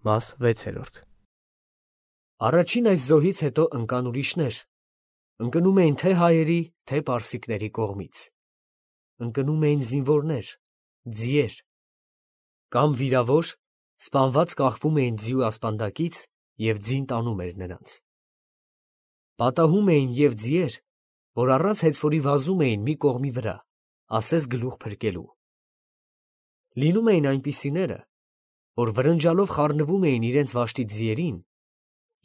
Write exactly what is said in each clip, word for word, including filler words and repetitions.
Մաս վեցերորդ Առաջին այս զոհից հետո ընկան ուրիշներ, ընկնում էին թե հայերի, թե պարսիկների կողմից, ընկնում էին զինվորներ, ձիեր, կամ վիրավոր, սպանված կախվում էին ձիու ասպանդակից և ձին տանում էր նրանց. պատահում էին և ձիեր, որ առանց հեծվորի վազում էին մի կողմի վրա, ասես գլուխ փրկելու. լինում էին այնպիսիները, որ վրնջալով խառնվում էին իրենց վաշտի ձիերին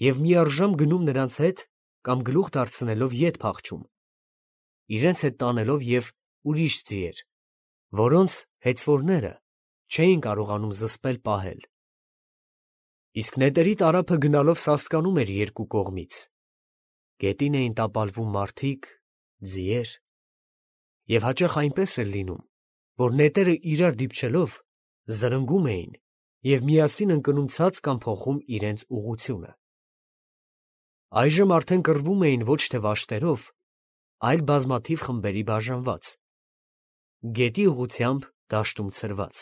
և միառժամ գնում նրանց հետ կամ գլուխ դարձնելով ետ փախչում, իրենց հետ տանելով և ուրիշ ձիեր, որոնց հեծվորները չէին կարողանում զսպել պահել. իսկ նետերի տարափը գնալով սասկանում էր երկու կողմից, գետին էին տապալվում մարդիկ, ձիեր, և հաճախ այնպես էր լինում, որ նետերը իրար դիպչելով զրնգում էին և միասին ընկնում ցած կամ փոխում իրենց ուղղությունը. այժմ արդեն կռվում էին ոչ թե վաշտերով, այլ բազմաթիվ խմբերի բաժանված, գետի ուղղությամբ դաշտում ցրված.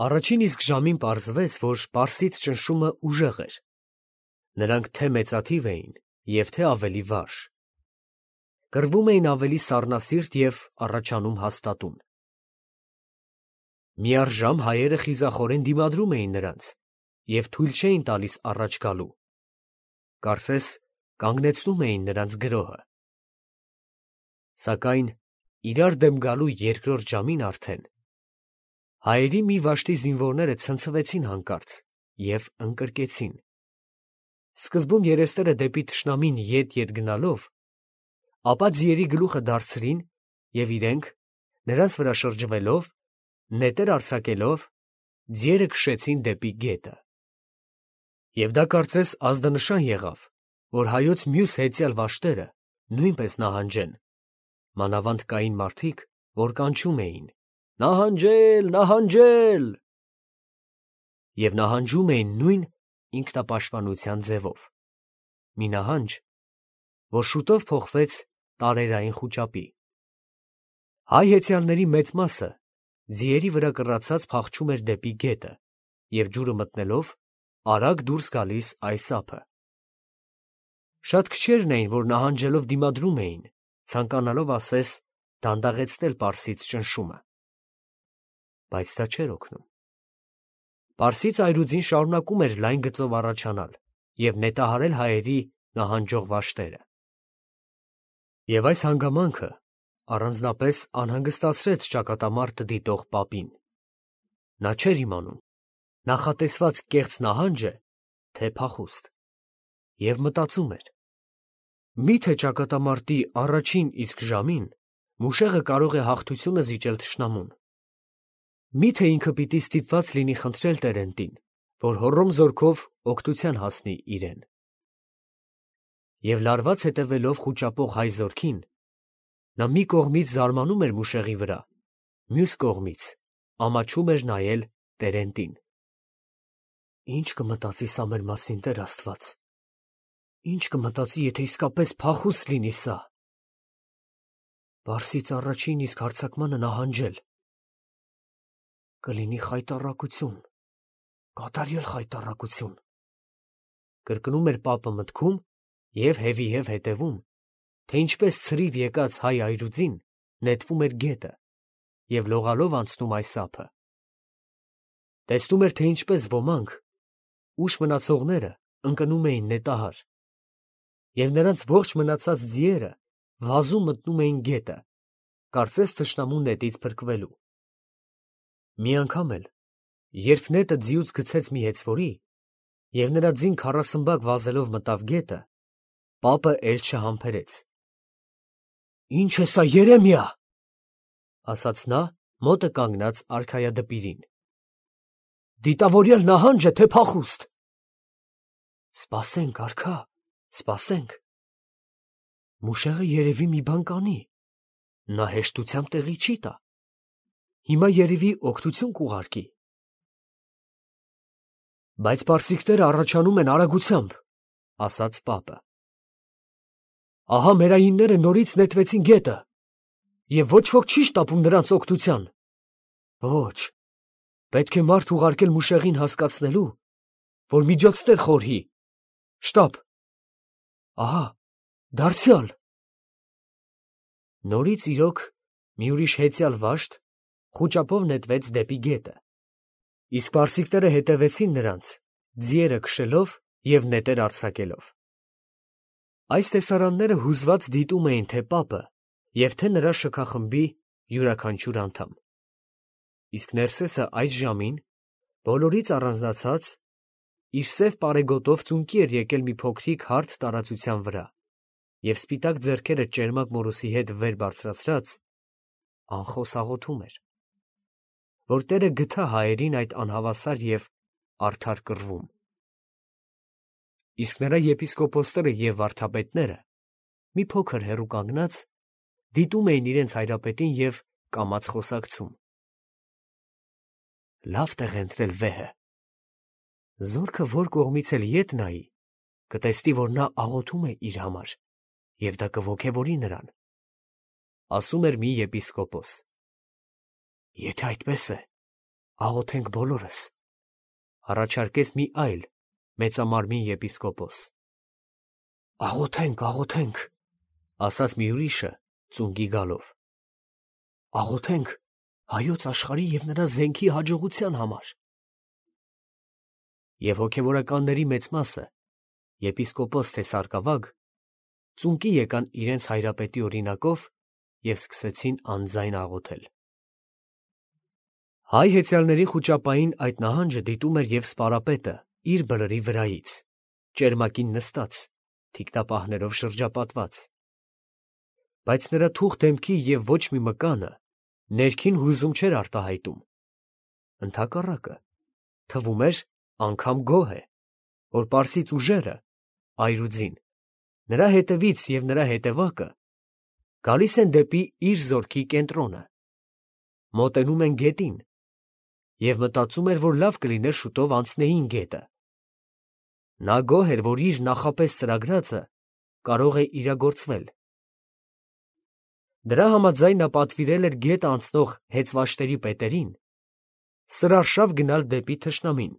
առաջին իսկ ժամին պարզվեց, որ պարսից ճնշումը ուժեղ էր, նրանք թե մեծաթիվ էին և թե ավելի վարժ, կռվում էին ավելի սառնասիրտ և առաջանում հաստատուն. միառժամ հայերը խիզախորեն դիմադրում էին նրանց և թույլ չէին տալիս առաջ գալու, կարծես կանգնեցնում էին նրանց գրոհը. սակայն իրար դեմ գալու երկրորդ ժամին արդեն հայերի մի վաշտի զինվորները ցնցվեցին հանկարծ և ընկրկեցին, սկզբում երեսները դեպի թշնամին ետ-ետ գնալով, ապա ձիերի գլուխը դարձրին և իրենք, նրանց վրա շրջվելով, նետեր արձակելով, ձիերը քշեցին դեպի գետը. և դա կարծես ազդանշան եղավ, որ հայոց մյուս հեծյալ վաշտերը նույնպես նահանջեն, մանավանդ կային մարդիկ, որ կանչում էին. «Նահանջե՛լ, նահանջե՛լ» և նահանջում էին նույն ինքնապաշտպանության ձևով, մի նահանջ, որ շուտով փոխվեց տարերային խուճապի. հայ հեծյալների մեծ մասը ձիերի վրա կռացած փախչում էր դեպի գետը և ջուրը մտնելով արագ դուրս գալիս այս ափը. շատ քչերն էին, որ նահանջելով դիմադրում էին, ցանկանալով ասես դանդաղեցնել պարսից ճնշումը, բայց դա չէր օգնում. պարսից այրուձին շարունակում էր լայն գծով առաջանալ և նետահարել հայերի նահանջող վաշտերը. և այս հանգամանքը առանձնապես անհանգստացրեց ճակատամարտը դիտող պապին. նա չէր իմանում նախատեսված կեղծ նահա՞նջ է, թե փախուստ, և մտածում էր. մի՞թե ճակատամարտի առաջին իսկ ժամին մուշեղը կարող է հաղթությունը զիջել թշնամուն, մի՞թե ինքը պիտի ստիպված լինի խնդրել տերենտին, որ հոռոմ զորքով օգնության հասնի իրեն. և լարված հետևելով խուճապող հայ զորքին, նա մի կողմից զարմանում էր մուշեղի վրա, մյուս կողմից ամաչում էր նայել տերենտին. «Ի՞նչ կմտածի սա մեր մասին, Տեր Աստված, ի՞նչ կմտածի, եթե իսկապես փախուստ լինի սա, պարսից առաջին իսկ հարձակմանը նահանջել, կլինի խայտառակություն, կատարյալ խայտառակություն», կրկնում էր պապը մտքում և հետևի հետևում, թե ինչպես ցրիվ եկած հայ այրուձին նետվում էր գետը և լողալով անցնում այս ափը, տեսնում էր, թե ինչպես ոմանք, ուշ մնացողները ընկնում էին նետահար, և նրանց ողջ մնացած ձիերը վազում մտնում էին գետը, կարծես թշնամու նետից փրկվելու. մի անգամ էլ, երբ նետը ձիուց գցեց մի հեծվորի, և նրա ձին քառասմբակ վազելով մտավ գետը, պապը էլ չհամբերեց. «Ի՞նչ է սա, Երեմիա», ասաց նա մոտը կանգնած արքայադպիրին, «դիտավորյալ նահա՞նջ է, թե փախուստ»։ «Սպասենք, արքա, սպասենք, մուշեղը երևի մի բան կանի, նա հեշտությամբ տեղի չի տա, հիմա երևի օգնություն կուղարկի»։ «Բայց պարսիկները առաջանում են արագությամբ», ասաց պապը. «ահա մերայինները նորից նետվեցին գետը, և ոչ ոք չի շտապում նրանց օգնության, ոչ, Պետք է մարդ ուղարկել Մուշեղին հասկացնելու, որ միջոցներ խորհի։ Շտապ։ Ահա, դարձյալ։ Նորից իրոք մի ուրիշ հեծյալ վաշտ խուճապով նետվեց դեպի գետը, իսկ պարսիկները հետևեցին նրանց, ձիերը քշելով և նետեր արձակելով։ Այս տեսարանները հուզված դիտում էին թե պապը և թե նրա շքախմբի յուրաքանչյուր անդամ։ Իսկ Ներսեսը այդ ժամին, բոլորից առանձնացած, իր սև պարեգոտով ծունկի էր եկել մի փոքրիկ հարթ տարածության վրա և սպիտակ ձեռքերը ճերմակ մորուսի հետ վեր բարձրացրած, անխոս աղոթում էր, որ Տերը գթա հայերին այդ անհավասար և արդար կռվում։ Իսկ նրա եպիսկոպոսները և վարդապետները, մի փոքր հեռու կանգնած, դիտում էին իրենց հայրապետին և կամաց խոսակցում։ Լավ տեղ է ընտրել վեհը։ Զորքը որ կողմից էլ ետ նայի, կտեսնի, որ նա աղոթում է իր համար, և դա կոգևորի նրան, ասում էր մի եպիսկոպոս։ Եթե այդպես է, աղոթենք բոլորս, առաջարկեց մի այլ մեծամարմին եպիսկոպոս։ Աղոթենք, աղոթենք, ասաց մի ուրիշը ծունկի գալով։ Աղոթենք հայոց աշխարհի և նրա զենքի հաջողության համար։ Եվ հոգևորականների մեծ մասը, եպիսկոպոս թե սարկավագ, ծունկի եկան իրենց հայրապետի օրինակով և սկսեցին անձայն աղոթել։ Հայ հեծյալների խուճապային այդ նահանջը դիտում էր և սպարապետը իր բլրի վրայից, ճերմակին նստած, թիկնապահներով շրջապատված։ Բայց նրա թուխ դեմքի և ոչ մի մկանը ներքին հուզում չէր արտահայտում։ Ընդհակառակը, թվում էր անգամ գոհ է, որ պարսից ուժերը, այրուձին, նրա հետևից և նրա հետևակը գալիս են դեպի իր զորքի կենտրոնը, մոտենում են գետին և մտածում էր, որ լավ կլիներ շուտով անցնեին գետը։ Նա գոհ էր, որ իր նախապես ծրագրածը կարող է իրագործվել։ Դրա համաձայն նա պատվիրել էր գետը անցնող հեծվաշտերի պետերին սրարշավ գնալ դեպի թշնամին,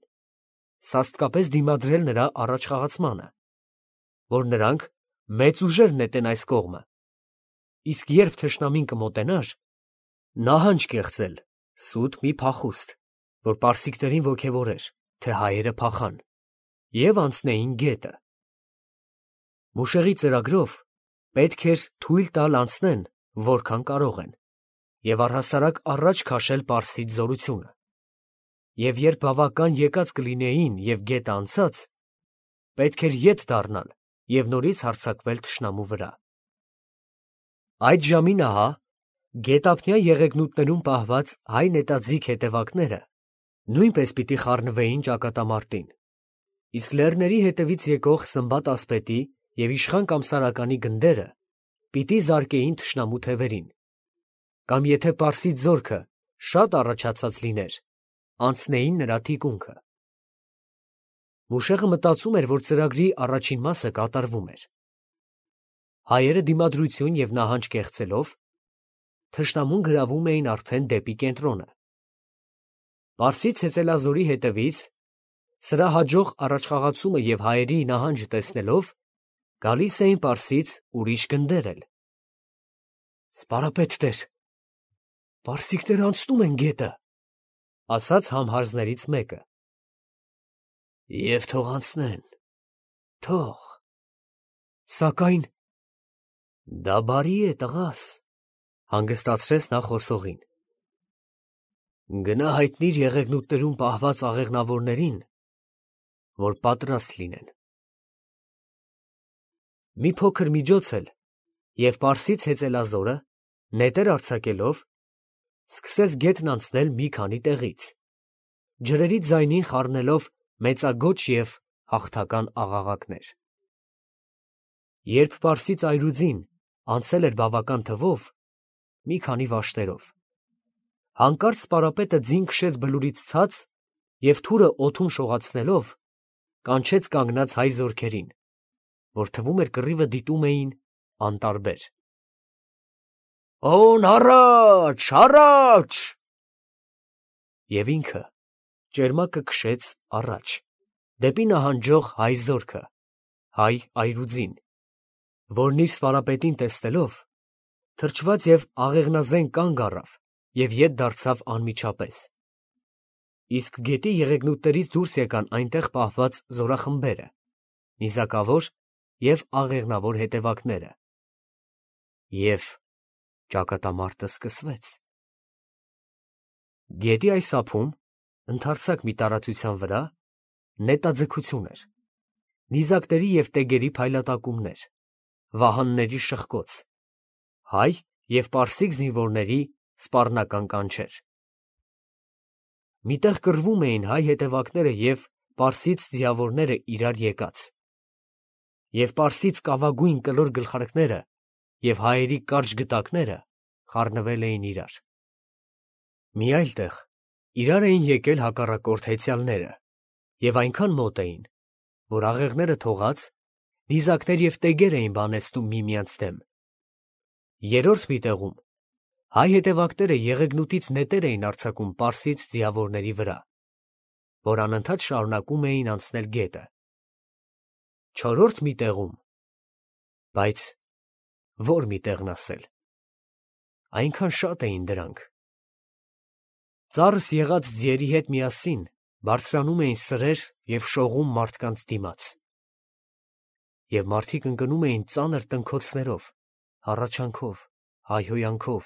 սաստկապես դիմադրել նրա առաջխաղացմանը, որ նրանք մեծ ուժեր նետեն այս կողմը, իսկ երբ թշնամին կմոտենար, նահանջ կեղծել սուտ մի փախուստ, որ պարսիկներին ոգևորեր, թե հայերը փախան և անցնեին գետը։ Մուշեղի ծրագրով պետք էր թույլ տալ անցնեն, որքան կարող են, և առհասարակ առաջ քաշել պարսից զորությունը, և երբ բավական եկած կլինեին և գետը անցած, պետք էր ետ դառնալ և նորից հարձակվել թշնամու վրա։ Այդ ժամին ահա գետափնյա եղեգնուտներում պահված հայ նետաձիգ հետևակները նույնպես պիտի խառնվեին ճակատամարտին, իսկ լեռների հետևից եկող Սմբատ ասպետի և իշխան Կամսարականի գնդերը պիտի զարկեին թշնամու թևերին, կամ եթե պարսից զորքը շատ առաջացած լիներ, անցնեին նրա թիկունքը։ Մուշեղը մտածում էր, որ ծրագրի առաջին մասը կատարվում էր։ Հայերը դիմադրություն և նահանջ կեղծելով, թշնամուն գրավում էին արդեն դեպի կենտրոնը։ Պարսից հեծելազորի հետևից սրա հաջող առաջխաղացումը և հայերի նահանջը տեսնելով, գալիս էին պարսից ուրիշ գնդեր էլ։ Սպարապետ տեր, պարսիկները անցնում են գետը, ասաց համհարձներից մեկը։ Եվ թող անցնեն, թող, սակայն դա բարի է, տղաս, հանգստացրեց նա խոսողին։ Գնա հայտնիր եղեգնուտներում պահված աղեղնավորներին, որ պատրաստ լինեն։ Մի փոքր միջոց էլ, և պարսից հեծելազորը, նետեր արձակելով, սկսեց գետն անցնել մի քանի տեղից, ջրերի ձայնին խառնելով մեծագոչ և հաղթական աղաղակներ։ Երբ պարսից այրուձին անցել էր բավական թվով, մի քանի վաշտերով, հանկարծ սպարապետը ձին քշեց բլուրից ցած և թուրը օդում շողացնելով, կանչեց կանգնած հայ զորքերին, որ թվում էր կռիվը դիտում էին անտարբեր. «Օն առաջ, առաջ»։ Եվ ինքը ճերմակը քշեց առաջ, դեպի նահանջող հայ զորքը, հայ այրուձին, որն իր սպարապետին տեսնելով, թրջված և աղեղնազեն կանգ առավ և ետ դարձավ անմիջապես. իսկ գետի եղեգնուտներից դուրս եկան այնտեղ պահված զորախմբերը, նիզակավոր և աղեղնավոր հետևակները, և ճակատամարտը սկսվեց։ Գետի այս ափում, ընդարձակ մի տարածության վրա, նետաձգություն էր, նիզակների և տեգերի փայլատակումներ, վահանների շխկոց, հայ և պարսիկ զինվորների սպառնական կանչեր։ Միտեղ կռվում էին հայ հետևակները և պարսից ձիավորները իրար եկած, և պարսից կավագույն կլոր գլխարկները և հայերի կարճ գդակները խառնվել էին իրար։ Մի այլ տեղ իրար էին եկել հակառակորդ հեծյալները և այնքան մոտ էին, որ աղեղները թողած, նիզակներ և տեգեր էին բանեցնում միմյանց դեմ։ Երրորդ մի տեղում հայ հետևակները եղեգնուտից նետեր էին արձակում պարսից ձիավորների վրա, որ անընդհատ շարունակում էին անցնել գետը։ Չորրորդ մի տեղում, բայց ո՞ր մի տեղն ասել, այնքան շատ էին դրանք, ծառս եղած ձիերի հետ միասին բարձրանում էին սրեր և շողում մարդկանց դիմաց, և մարդիկ ընկնում էին ծանր տնքոցներով, հառաչանքով, հայհոյանքով,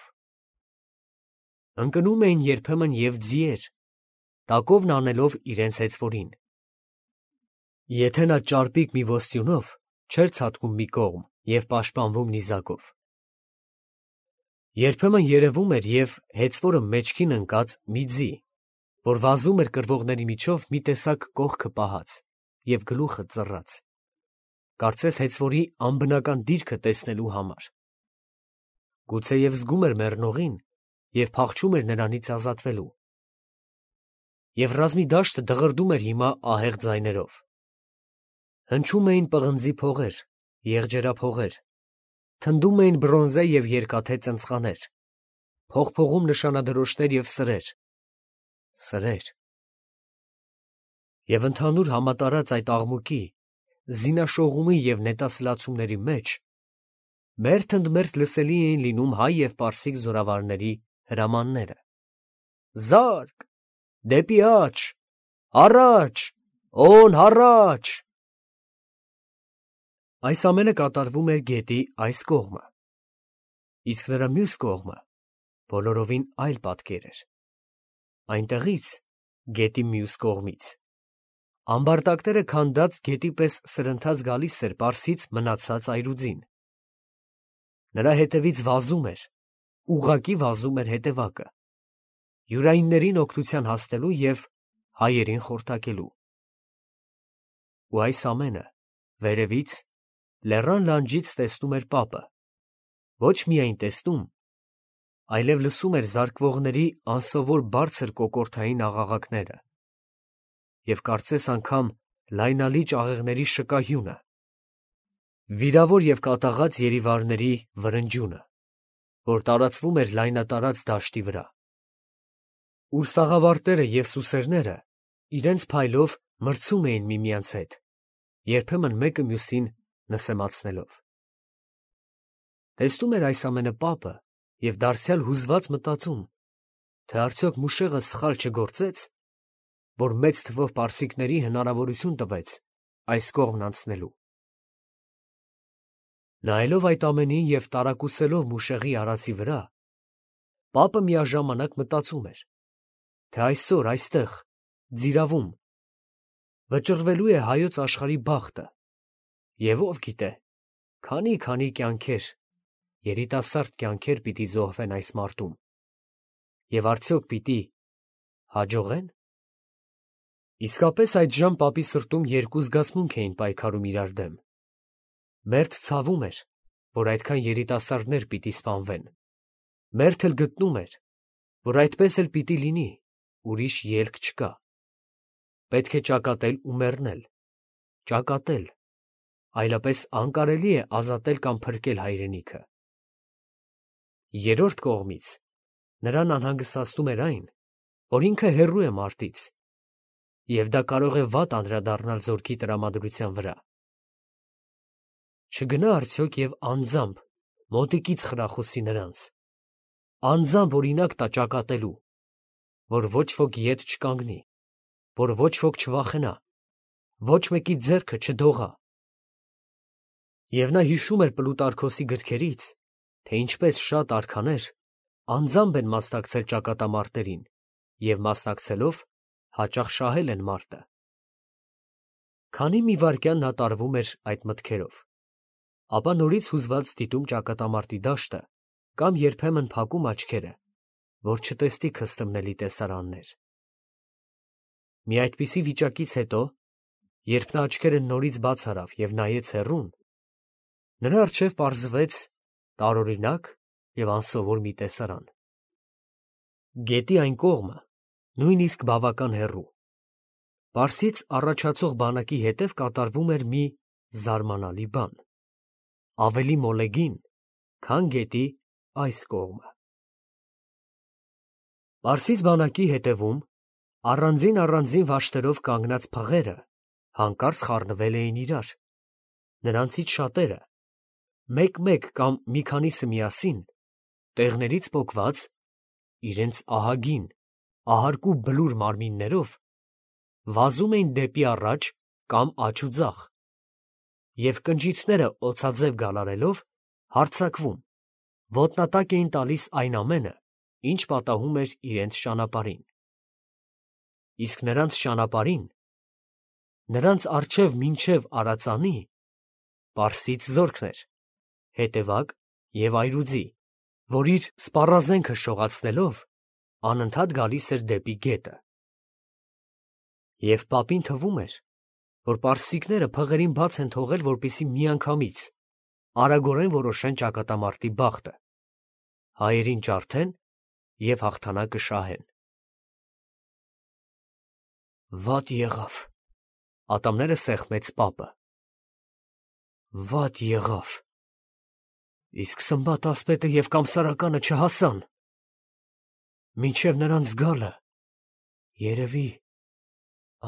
ընկնում էին երբեմն և ձիեր, տակովն անելով իրենց հեծվորին, եթե նա ճարպիկ մի ոսյունով չէր ցատկում մի կողմ և պաշտպանվում նիզակով։ Երբեմն երևում էր և հեծվորը մեջքին ընկած մի ձի, որ վազում էր կռվողների միջով մի տեսակ կողքը պահած և գլուխը ծռած, կարծես հեծվորի անբնական դիրքը տեսնելու համար, գուցեև զգում էր մեռնողին և փախչում էր նրանից ազատվելու, և ռազմի դաշտը դղրդում էր հիմա ահեղ ձայներով, հնչում էին պղնձի փողեր, եղջերափողեր, թնդում էին բրոնզե և երկաթե ծնցղաներ, փողփողում նշանադրոշներ և սրեր, սրեր… Եվ ընդհանուր համատարած այդ աղմուկի, զինաշողումի և նետասլացումների մեջ մերթ ընդ մերթ լսելի էին լինում հայ և պարսիկ զորավարների հրամանները. «Զա՛րկ, դեպի աջ, առաջ, օն հառաչ»։ Այս ամենը կատարվում էր գետի այս կողմը, իսկ նրա մյուս կողմը բոլորովին այլ պատկեր էր. այնտեղից, գետի մյուս կողմից, ամբարտակները քանդած գետի պես սրընթաց գալիս էր պարսից մնացած այրուձին, նրա հետևից վազում էր, ուղղակի վազում էր հետևակը, յուրայիններին օգնության հասնելու և հայերին խորտակելու։ Ու այս ամենը վերևից, լեռան լանջից տեսնում էր պապը, ոչ միայն տեսնում, այլև լսում էր զարկվողների անսովոր բարձր կոկորդային աղաղակները և կարծես անգամ լայնալիճ աղեղների շկահյունը, վիրավոր և կատաղած երիվարների վրնջյունը, որ տարածվում էր լայնատարած դաշտի վրա, ուր սաղավարտները և սուսերները իրենց փայլով մրցում էին միմյանց հետ, երբեմն մեկը մյուսին նսեմացնելով։ Տեսնում էր այս ամենը պապը և դարձյալ հուզված մտածում, թե արդյոք մուշեղը սխալ չգործե՞ց, որ մեծ թվով պարսիկների հնարավորություն տվեց այս կողմն անցնելու։ Նայելով այդ ամենին և տարակուսելով մուշեղի արածի վրա, պապը միաժամանակ մտածում էր, թե այսօր այստեղ, Ձիրավում, վճռվելու է հայոց աշխարհի բախտը, և ով գիտե, քանի՜֊քանի՜ կյանքեր, երիտասարդ կյանքեր պիտի զոհվեն այս մարտում, և արդյոք պիտի հաջողե՞ն։ Իսկապես այդժամ պապի սրտում երկու զգացմունք էին պայքարում իրար դեմ. մերթ ցավում էր, որ այդքան երիտասարդներ պիտի սպանվեն, մերթ էլ գտնում էր, որ այդպես էլ պիտի լինի, ուրիշ ելք չկա, պետք է ճակատել ու մեռնել, ճակատել, այլապես անկարելի է ազատել կամ փրկել հայրենիքը։ Երրորդ կողմից, նրան անհանգստացնում էր այն, որ ինքը հեռու է մարտից և դա կարող է վատ անդրադառնալ զորքի տրամադրության վրա։ Չգնա արդյոք և անձամբ մոտիկից խրախուսի նրանց, անձամբ օրինակ տա ճակատելու, որ ոչ ոք ետ չկանգնի, որ ոչ ոք չվախենա, ոչ մեկի ձեռքը չդողա։ Եվ նա հիշում էր Պլուտարքոսի գրքերից, թե ինչպես շատ արքաներ անձամբ են մասնակցել ճակատամարտերին և մասնակցելով հաճախ շահել են մարտը։ Քանի մի վայրկյան նա տարվում էր այդ մտքերով, ապա նորից հուզված դիտում ճակատամարտի դաշտը կամ երբեմն փակում աչքերը, որ չտեսնի քստմնելի տեսարաններ։ Մի այդպիսի վիճակից հետո, երբ նա աչքերը նորից բաց արավ և նայեց հեռուն, նրա առջև պարզվեց տարօրինակ և անսովոր մի տեսարան։ Գետի այն կողմը, նույնիսկ բավական հեռու, Պարսից առաջացող բանակի հետև կատարվում էր մի զարմանալի բան, ավելի մոլեգին, քան գետի այս կողմը։ Պարսից բանակի հետևում առանձին-առանձին վաշտերով կանգնած փղերը հանկարծ խառնվել էին իրար, նրանցից շատերը, մեկ֊մեկ կամ մի քանիսը միասին, տեղներից պոկված, իրենց ահագին, ահարկու բլուր մարմիններով վազում էին դեպի առաջ կամ աջ ու ձախ և կնճիթները օձաձև գալարելով հարձակվում, ոտնատակ էին տալիս այն ամենը, ինչ պատահում էր իրենց ճանապարհին։ Իսկ նրանց ճանապարհին, նրանց առջև մինչև Արածանի, պարսից զորքն էր, հետևակ և այրուձի, որ իր սպառազենքը շողացնելով անընդհատ գալիս էր դեպի գետը։ Եվ պապին թվում էր, որ պարսիկները փղերին բաց են թողել, որպեսզի միանգամից արագորեն որոշեն ճակատամարտի բախտը, հայերին ջարդեն և հաղթանակը շահեն։ Վատ եղավ, ատամները սեղմեց պապը։ Վատ եղավ, իսկ Սմբատ ասպետը և կամսարականը չհասան։ Մինչև նրանց գալը, երևի,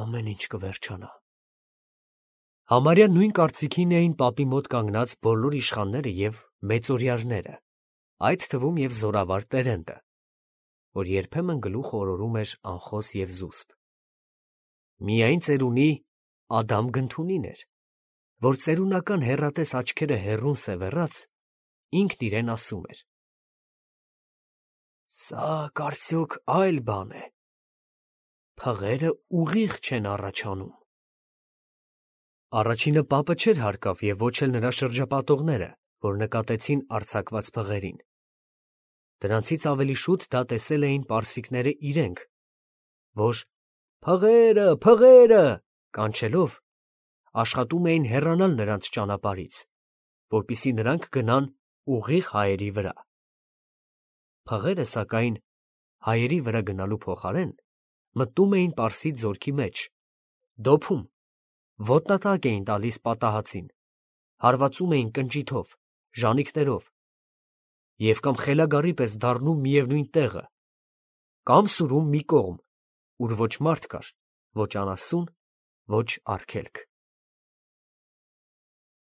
ամեն ինչ կվերջանա։ Համարյա նույն կարծիքին էին պապի մոտ կանգնած բոլոր իշխանները և մեծօրյարները, այդ թվում և զորավար Տերենտը, որ երբեմն գլուխ օրորում էր անխոս և զուսպ։ Միայն ծերունի Ադամ Գնթունին էր, որ ծերունական հեռատես աչքերը հեռուն սևեռած, ինքն իրեն ասում էր. «Սա կարծոք այլ բան է, փղերը ուղիղ չեն առաջանում»։ Առաջինը պապը չէր հարկավ և ոչ էլ նրա շրջապատողները, որ նկատեցին արձակված փղերին։ Դրանցից ավելի շուտ դա տեսել էին պարսիկները իրենք, որ «Փղերը, փղերը» կանչելով աշխատում էին հեռանալ նրանց ճանապարհից, որպեսզի նրանք գնան ուղիղ հայերի վրա։ Փղերը, սակայն, հայերի վրա գնալու փոխարեն, մտնում էին պարսից զորքի մեջ, դոփում, ոտնատակ էին տալիս պատահածին, հարվածում էին կնճիթով, ժանիքներով և կամ խելագարի պես դառնում միևնույն տեղը, կամ սուրում մի կողմ, ուր ոչ մարդ կար, ոչ անասուն, ոչ արգելք։